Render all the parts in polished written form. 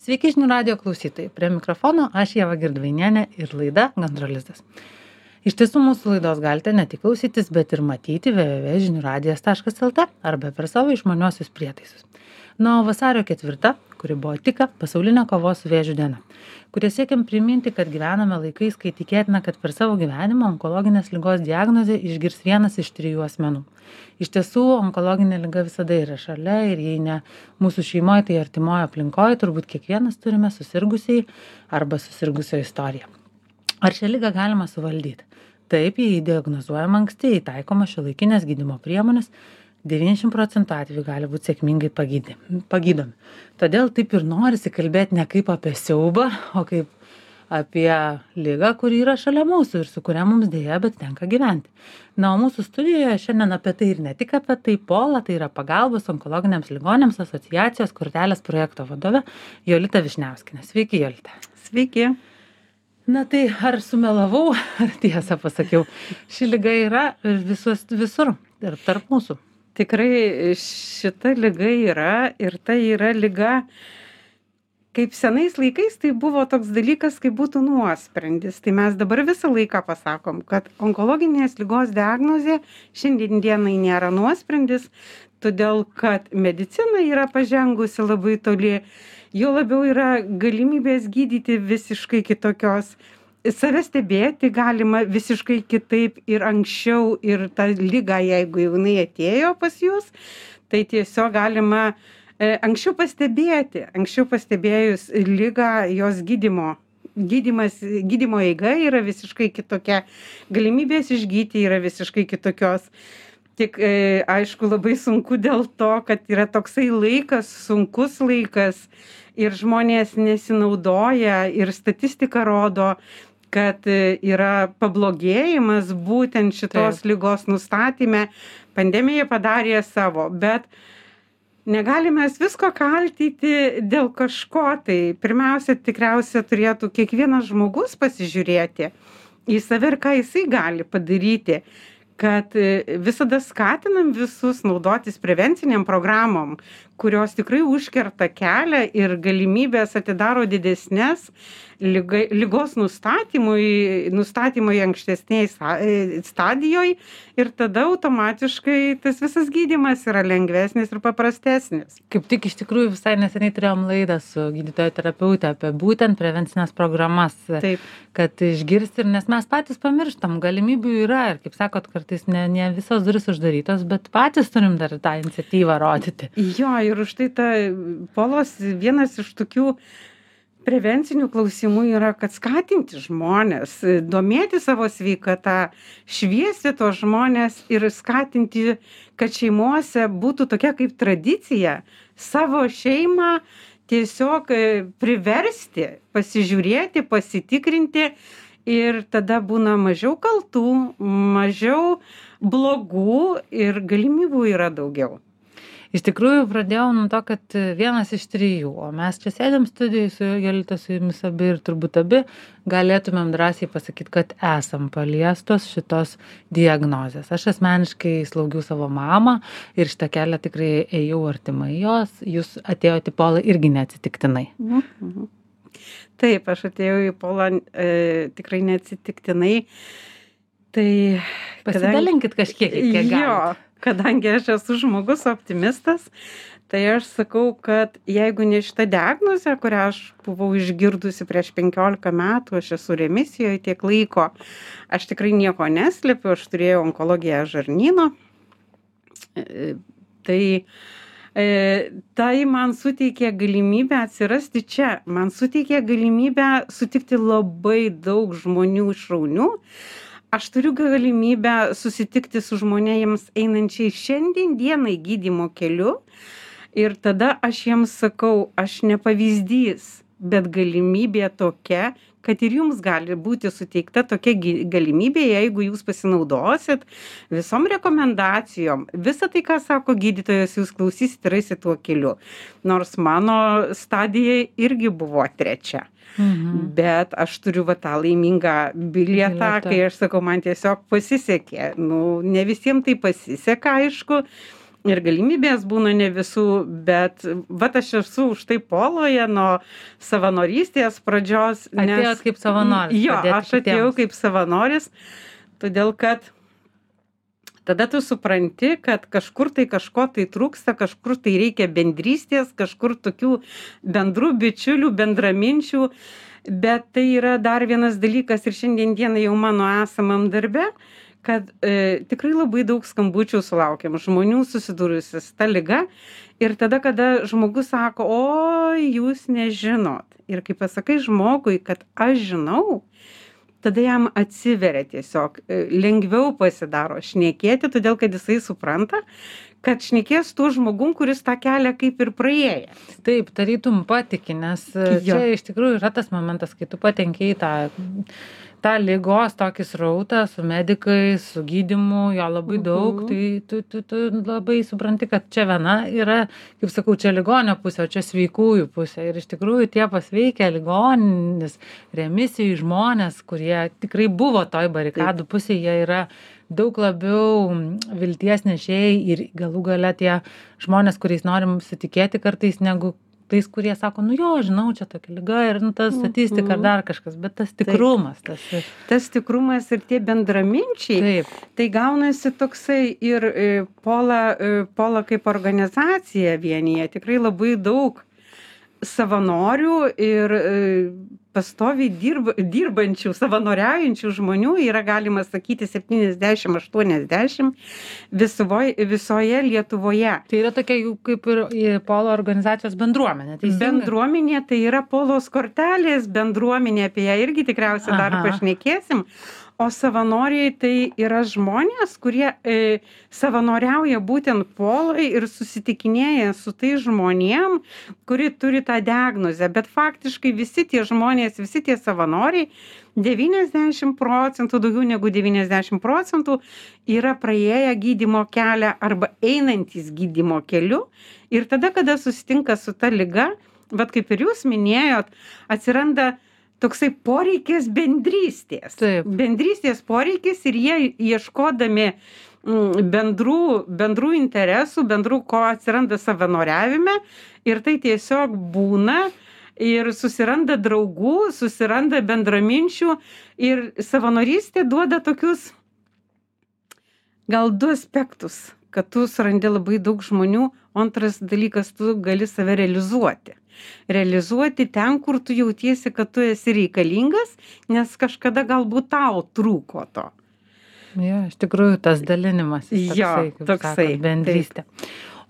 Sveiki žinių radijo klausytojai. Prie mikrofono aš Ieva Girdvainienė ir laida Gandro lizdas. Iš tiesų mūsų laidos galite ne tik klausytis, bet ir matyti www.žiniuradijas.lt arba per savo išmaniuosius prietaisus. Na, o vasario 4, kuri buvo tik pasaulinė kovos su vėžiu diena, kurie siekiam priminti, kad gyvename laikais, kai tikėtina, kad per savo gyvenimą onkologinės ligos diagnozę išgirs vienas iš 3 asmenų. Iš tiesų, onkologinė liga visada yra šalia ir jei ne mūsų šeimoje, tai artimoje aplinkoje turbūt kiekvienas turime susirgusiai arba susirgusio istoriją. Ar šią ligą galima suvaldyti? Taip, jei diagnozuojama anksti, jei taikoma šiuolaikinės gydymo priemonės, 90% atvejų gali būti sėkmingai pagydomi. Todėl taip ir norisi kalbėti ne kaip apie siaubą, o kaip apie ligą, kuri yra šalia mūsų ir su kuria mums dėja, bet tenka gyventi. Na, o mūsų studijoje šiandien apie tai ir ne tik apie tai Pola, tai yra pagalbos onkologiniams ligonėms asociacijos kortelės projekto vadovė Jolita Višniauskienė. Sveiki, Jolita. Sveiki. Na tai ar sumelavau, ar tiesą pasakiau, ši liga yra visur ir tarp mūsų. Tikrai šita liga yra ir tai yra liga, kaip senais laikais tai buvo toks dalykas, kaip būtų nuosprendis. Tai mes dabar visą laiką pasakom, kad onkologinės ligos diagnozė šiandien dienai nėra nuosprendis, todėl kad medicina yra pažengusi labai toli, jo labiau yra galimybės gydyti visiškai kitokios. Save stebėti galima visiškai kitaip ir anksčiau ir tą ligą, jeigu jinai atėjo pas jūs, tai tiesiog galima anksčiau pastebėti. Anksčiau pastebėjus ligą, jos gydymo eiga yra visiškai kitokia, galimybės išgyti yra visiškai kitokios. Tik aišku labai sunku dėl to, kad yra toksai laikas, sunkus laikas ir žmonės nesinaudoja ir statistika rodo, kad yra pablogėjimas būtent šitos ligos nustatyme. Pandemija padarė savo, bet negalime visko kaltyti dėl kažko. Tai pirmiausia, tikriausia turėtų kiekvienas žmogus pasižiūrėti į save ir ką jisai gali padaryti. Kad visada skatinam visus naudotis prevenciniam programom, kurios tikrai užkerta kelią ir galimybės atidaro didesnės ligos nustatymui ankstesnėj stadijoj ir tada automatiškai tas visas gydymas yra lengvesnis ir paprastesnis. Kaip tik iš tikrųjų visai neseniai turėjom laidą su gydytojo terapeute apie būtent prevencinės programas. Taip. Kad išgirsti ir nes mes patys pamirštam, galimybių yra ir kaip sakot, kartais ne visos durys uždarytos, bet patys turim dar tą iniciatyvą rodyti. Jo, ir už tai ta Polos vienas iš tokių prevencinių klausimų yra, kad skatinti žmonės, domėti savo sveikatą, šviesti tos žmonės ir skatinti, kad šeimose būtų tokia kaip tradicija savo šeimą tiesiog priversti, pasižiūrėti, pasitikrinti ir tada būna mažiau kaltų, mažiau blogų ir galimybių yra daugiau. Iš tikrųjų pradėjau nuo to, kad vienas iš 3, o mes čia sėdėm studijoj su Jolita, su jumis abi ir turbūt abi galėtumėm drąsiai pasakyti, kad esam paliestos šitos diagnozės. Aš asmeniškai slaugiau savo mamą ir šitą kelią tikrai ėjau artimai jos. Jūs atėjote į Polą irgi neatsitiktinai. Taip, aš atėjau į Polą tikrai neatsitiktinai. Tai pasidalinkit kažkiek, kiek galite. Jo, kadangi aš esu žmogus optimistas, tai aš sakau, kad jeigu ne šita diagnozė, kurią aš buvau išgirdusi prieš 15 metų, aš esu remisijoje tiek laiko, aš tikrai nieko neslėpiu, aš turėjau onkologiją žarnyno. Tai man suteikė galimybę atsirasti čia, man suteikė galimybę sutikti labai daug žmonių šaunių. Aš turiu galimybę susitikti su žmonėms einančiai šiandien dienai gydymo keliu ir tada aš jiems sakau, aš ne pavyzdys, bet galimybė tokia, kad ir jums gali būti suteikta tokia galimybė, jeigu jūs pasinaudosit visom rekomendacijom. Visą tai, ką sako gydytojas, jūs klausysit ir eisit tuo keliu. Nors mano stadija irgi buvo 3. Bet aš turiu tą laimingą bilietą, kai aš sakau, man tiesiog pasisekė. Ne visiems tai pasiseka, aišku, ir galimybės būna ne visų, bet vat aš esu už tai Poloje nuo savanorystės pradžios. Atėjot kaip savanoris. Jo, padėti aš atėjau kitiems. kaip savanoris, todėl kad tada tu supranti, kad kažkur tai kažko tai trūksta, kažkur tai reikia bendrystės, kažkur tokių bendrų bičiulių, bendraminčių, bet tai yra dar vienas dalykas ir šiandien dieną jau mano esamam darbe, kad tikrai labai daug skambučių sulaukiam žmonių susidūrusius ta liga ir tada, kada žmogus sako, oi, jūs nežinot. Ir kai pasakai žmogui, kad aš žinau, tada jam atsiveria tiesiog, lengviau pasidaro šnekėti, todėl kad jisai supranta, kad šnekės tuo žmogum, kuris tą kelią kaip ir praėję. Taip, tarytum patiki, nes čia iš tikrųjų yra tas momentas, kai tu patenki į tą ligos tokį srautą su medikais, su gydymu, jo labai daug, tai tu labai supranti, kad čia viena yra, kaip sakau, čia ligonio pusė, o čia sveikųjų pusė. Ir iš tikrųjų tie pasveikę ligonis, remisijų žmonės, kurie tikrai buvo toj barikadų pusėje, jie yra daug labiau vilties nešėjai ir galų gale tie žmonės, kuriais norim sitikėti kartais, negu tais, kurie sako, nu jo, žinau, čia tokia liga ir ta statistika ar dar kažkas, bet tas tikrumas. Tas tikrumas ir tie bendraminčiai, taip. Tai gaunasi toksai ir Pola kaip organizacija vienyje tikrai labai daug savanorių ir pastoviai dirbančių, savanoriaujančių žmonių yra, galima sakyti, 70-80 visoje Lietuvoje. Tai yra tokia jų kaip ir Polo organizacijos bendruomenė. Bendruomenė tai yra Polos kortelės bendruomenė, apie ją irgi tikriausiai dar pašnekėsim. O savanoriai tai yra žmonės, kurie savanoriauja būtent Polai ir susitikinėja su tai žmonėm, kuri turi tą diagnozę. Bet faktiškai visi tie žmonės, visi tie savanoriai, 90%, daugiau negu 90% yra praėję gydymo kelią arba einantys gydymo keliu. Ir tada, kada susitinka su ta liga, vat kaip ir jūs minėjot, atsiranda toksai poreikis bendrystės. Taip. Bendrystės poreikis ir jie ieškodami bendrų interesų, bendrų ko atsiranda savanoriavime ir tai tiesiog būna ir susiranda draugų, susiranda bendraminčių ir savanorystė duoda tokius gal 2 aspektus, kad tu surandi labai daug žmonių, o antras dalykas, tu gali save realizuoti. Realizuoti ten, kur tu jautiesi, kad tu esi reikalingas, nes kažkada galbūt tau trūko to. Jo, iš tikrųjų tas dalinimas. Toksai, bendrystė.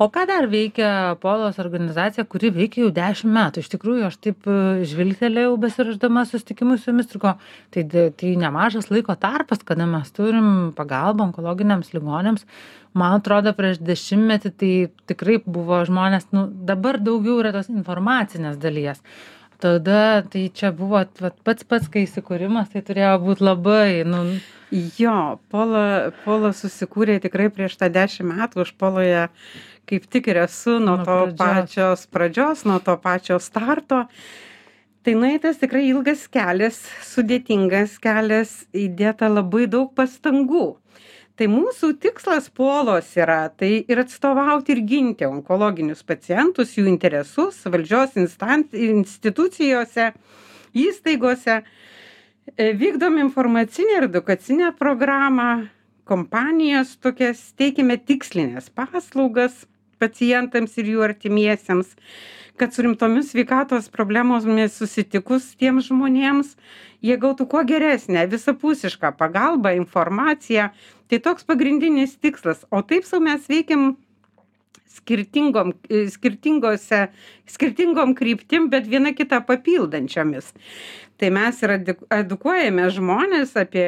O ką dar veikia Polos organizacija, kuri veikia jau 10 metų? Iš tikrųjų, aš taip žvilgtelėjau besirašdama susitikimui su jumis, tai nemažas laiko tarpas, kada mes turim pagalbą onkologiniams ligonėms. Man atrodo, prieš 10 metį tai tikrai buvo žmonės, dabar daugiau yra tos informacinės dalies. Tada tai čia buvo pats kai įsikūrimas, tai turėjo būti labai, Jo, Pola susikūrė tikrai prieš tą 10 metų, aš Poloje kaip tik ir esu nuo to pačios pradžios, nuo to pačio starto. Tai nueitas tikrai ilgas kelias, sudėtingas kelias, įdėta labai daug pastangų. Tai mūsų tikslas Polos yra tai ir atstovauti ir ginti onkologinius pacientus, jų interesus valdžios institucijose, įstaigose. Vykdom informacinę ir edukacinę programą, kompanijas tokias, teikiame tikslinės paslaugas pacientams ir jų artimiesiems, kad su rimtomis sveikatos problemomis susitikus tiems žmonėms, jie gautų kuo geresnę, visapusišką pagalbą, informaciją. Tai toks pagrindinis tikslas. O taip sau mes veikiam skirtingom kryptim, bet viena kitą papildančiomis. Tai mes ir edukuojame žmonės apie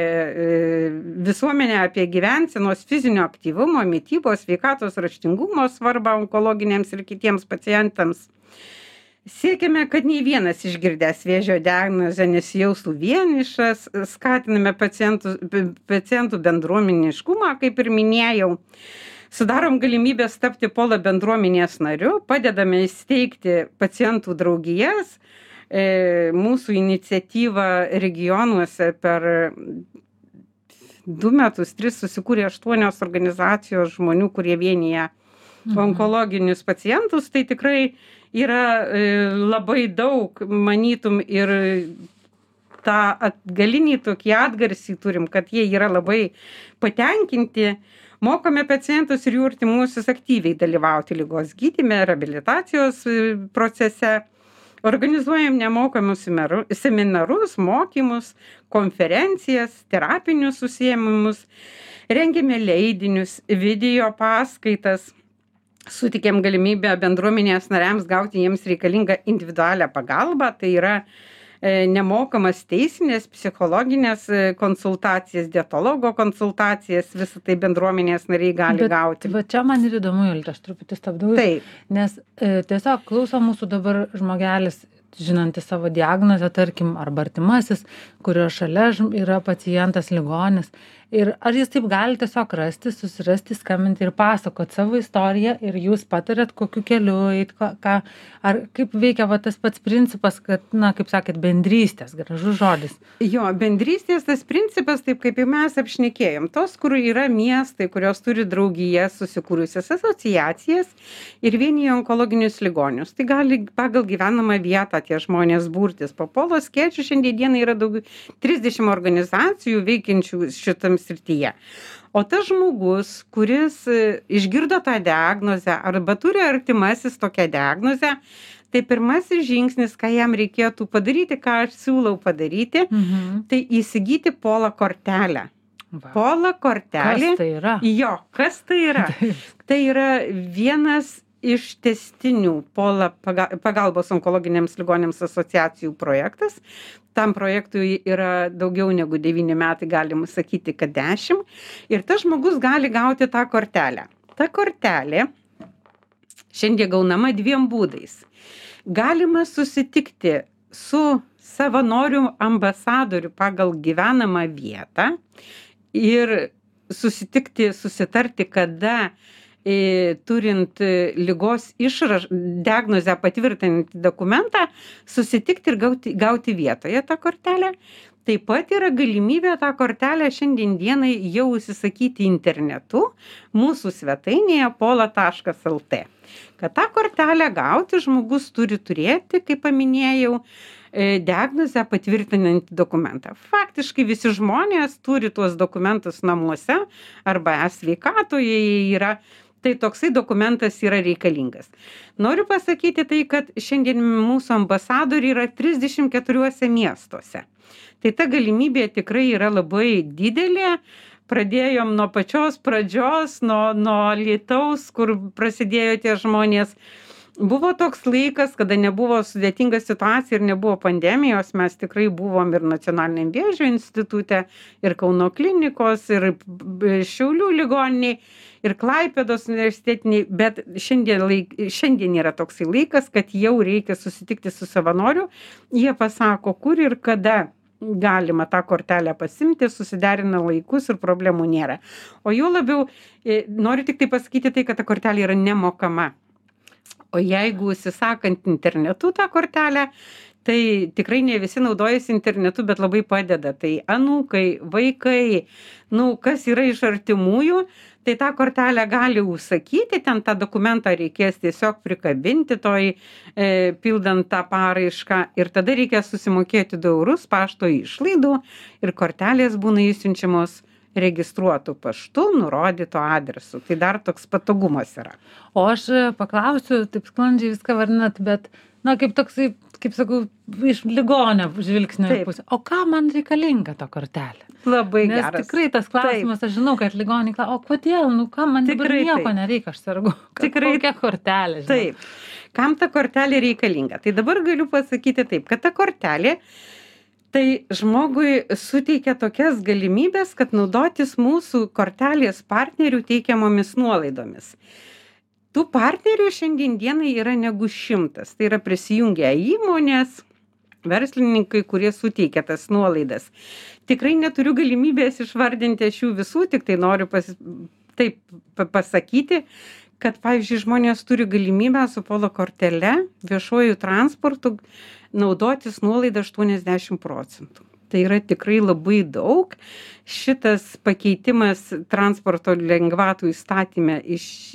visuomenę, apie gyvensenos fizinio aktyvumo, mitybos, sveikatos raštingumo svarbą onkologiniams ir kitiems pacientams. Siekiame, kad nei vienas išgirdęs vėžio diagnozę nesijaustų vienišas, skatiname pacientų bendruomeniškumą, kaip ir minėjau. Sudarom galimybės tapti Pola bendruomenės nariu, padedame įsteigti pacientų draugijas. Mūsų iniciatyva regionuose per 2 metus, 3 susikūrė 8 organizacijos žmonių, kurie vienyje onkologinius pacientus, tai tikrai yra labai daug, manytum, ir tą atgalinį tokį atgarsį turim, kad jie yra labai patenkinti. Mokome pacientus ir jų artimuosius aktyviai dalyvauti ligos gydyme, reabilitacijos procese. Organizuojam nemokamus seminarus, mokymus, konferencijas, terapinius užsiėmimus, rengiame leidinius, video paskaitas, sutikėm galimybę bendruomenės nariams gauti jiems reikalingą individualią pagalbą, tai yra nemokamas teisinės, psichologinės konsultacijas, dietologo konsultacijas, visą tai bendruomenės nariai gali gauti. Va čia man ir įdomu, Jolita, aš truputį stabdau. Taip. Nes tiesiog klauso mūsų dabar žmogelis, žinantis savo diagnozę, tarkim, arba artimasis, kurio šalia yra pacientas ligonis. Ir ar jis taip gali tiesiog rasti, susirasti, skambinti ir pasakot savo istoriją ir jūs patarėt, kokiu keliu eit, ar kaip veikia va tas pats principas, kad, na, kaip sakėt, bendrystės, gražus žodis. Jo, bendrystės tas principas, taip kaip ir mes apšnekėjom, tos, kur yra miestai, kurios turi draugijas, susikūrusias asociacijas ir vienyje onkologinius ligonius. Tai gali pagal gyvenamą vietą tie žmonės burtis. Po Polo skėčių šiandien yra daugiau 30 organizacijų veikiančių šitam srityje. O tas žmogus, kuris išgirdo tą diagnozę arba turi artimasis tokią diagnozę, tai pirmasis žingsnis, ką jam reikėtų padaryti, ką aš siūlau padaryti, tai įsigyti Pola kortelę. Pola kortelė. Kas tai yra? Jo, kas tai yra? Tai yra vienas iš tęstinių Pola pagalbos onkologiniams ligoniams asociacijų projektas. Tam projektui yra daugiau negu 9 metai, galima sakyti, kad 10. Ir tas žmogus gali gauti tą kortelę. Ta kortelė šiandien gaunama 2 būdais. Galima susitikti su savanorių ambasadoriu pagal gyvenamą vietą ir susitarti, kada turint ligos diagnozę patvirtinantį dokumentą, susitikti ir gauti vietoje tą kortelę. Taip pat yra galimybė tą kortelę šiandien dienai jau užsisakyti internetu mūsų svetainėje pola.lt. Kad tą kortelę gauti, žmogus turi turėti, kaip paminėjau, diagnozę patvirtinantį dokumentą. Faktiškai visi žmonės turi tuos dokumentus namuose arba sveikatoje yra. Tai toksai dokumentas yra reikalingas. Noriu pasakyti tai, kad šiandien mūsų ambasadoriai yra 34 miestuose. Tai ta galimybė tikrai yra labai didelė. Pradėjom nuo pačios pradžios, nuo Alytaus, kur prasidėjo tie žmonės. Buvo toks laikas, kada nebuvo sudėtinga situacija ir nebuvo pandemijos, mes tikrai buvom ir Nacionaliniam vėžio institute, ir Kauno klinikos, ir Šiaulių ligoniniai, ir Klaipėdos universitetiniai, bet šiandien yra toksai laikas, kad jau reikia susitikti su savanoriu, jie pasako, kur ir kada galima tą kortelę pasimti, susiderina laikus ir problemų nėra. O jau labiau, noriu tik tai pasakyti tai, kad ta kortelė yra nemokama. O jeigu užsisakant internetu tą kortelę, tai tikrai ne visi naudojasi internetu, bet labai padeda. Tai anūkai, vaikai, kas yra iš artimųjų, tai tą kortelę gali užsakyti, ten tą dokumentą reikės tiesiog prikabinti pildant tą paraišką ir tada reikės susimokėti 2 eurus pašto išlaidų ir kortelės būna išsiunčiamos registruotų paštu, nurodyto adresu. Tai dar toks patogumas yra. O aš paklausiu, taip sklandžiai viską vardinat, bet, kaip toksai, kaip sakau, iš ligonio žvilgsnio pusė. O ką man reikalinga ta kortelė? Labai geras. Nes tikrai tas klausimas, aš žinau, kad ligoniai klausia, o kodėl, ką man dabar nieko nereikia, aš sergu. Kokia kortelė, žinau. Taip. Kam ta kortelė reikalinga? Tai dabar galiu pasakyti taip, kad ta kortelė tai žmogui suteikia tokias galimybės, kad naudotis mūsų kortelės partnerių teikiamomis nuolaidomis. Tų partnerių šiandien dienai yra negu 100. Tai yra prisijungę įmonės, verslininkai, kurie suteikia tas nuolaidas. Tikrai neturiu galimybės išvardinti šių visų, tik tai noriu pasakyti, kad, pavyzdžiui, žmonės turi galimybę su Pola kortele viešuoju transportu naudotis nuolaidą 80%. Tai yra tikrai labai daug. Šitas pakeitimas transporto lengvatų įstatyme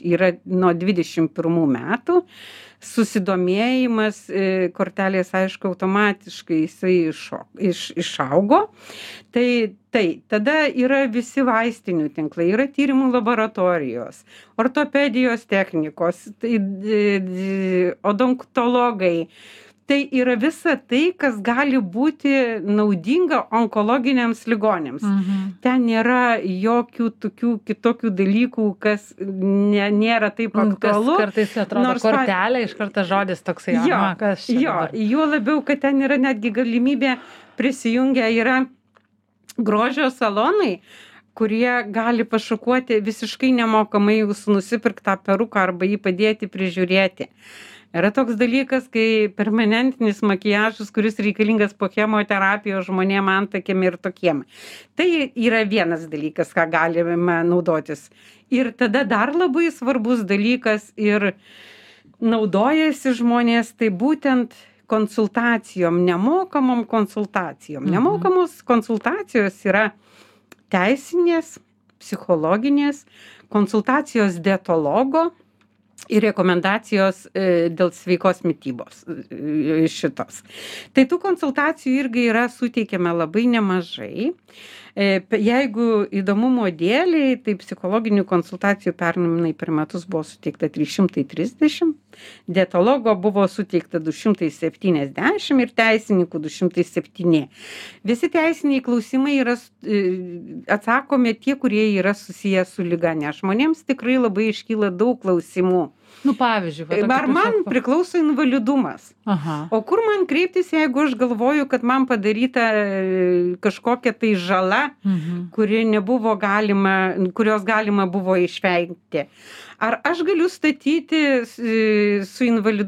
yra nuo 21 metų. Susidomėjimas kortelės, aišku, automatiškai jisai išaugo. Tai tada yra visi vaistinių tinklai, yra tyrimų laboratorijos, ortopedijos technikos, odontologai. Tai yra visa tai, kas gali būti naudinga onkologiniams ligonėms. Ten nėra jokių tokių kitokių dalykų, kas nėra taip aktualu. Kartais atrodo kortelė, iš karto žodis toksai, kas čia dabar. Jo labiau, kad ten yra netgi galimybė prisijungę yra grožio salonai, kurie gali pašukuoti visiškai nemokamai jūsų nusipirktą peruką arba jį padėti prižiūrėti. Yra toks dalykas, kai permanentinis makiažas, kuris reikalingas po chemoterapijos žmonėm antakiam ir tokiem. Tai yra vienas dalykas, ką galime naudotis. Ir tada dar labai svarbus dalykas ir naudojasi žmonės, tai būtent konsultacijom, nemokamom konsultacijom. Nemokamos konsultacijos yra teisinės, psichologinės, konsultacijos dietologo ir rekomendacijos dėl sveikos mitybos šitos. Tai tų konsultacijų irgi yra suteikiama labai nemažai. Jeigu įdomumo dėliai, tai psichologinių konsultacijų pernai per metus buvo suteikta 330, dietologo buvo suteikta 270 ir teisininkų 207. Visi teisiniai klausimai yra atsakomi tie, kurie yra susiję su liga, nes žmonėms tikrai labai iškyla daug klausimų. Pavyzdžiui, ar man priklauso invalidumas? O kur man kreiptis, jeigu aš galvoju, kad man padaryta kažkokia tai žala, kurios galima buvo išvengti? Ar aš galiu statyti su invalidu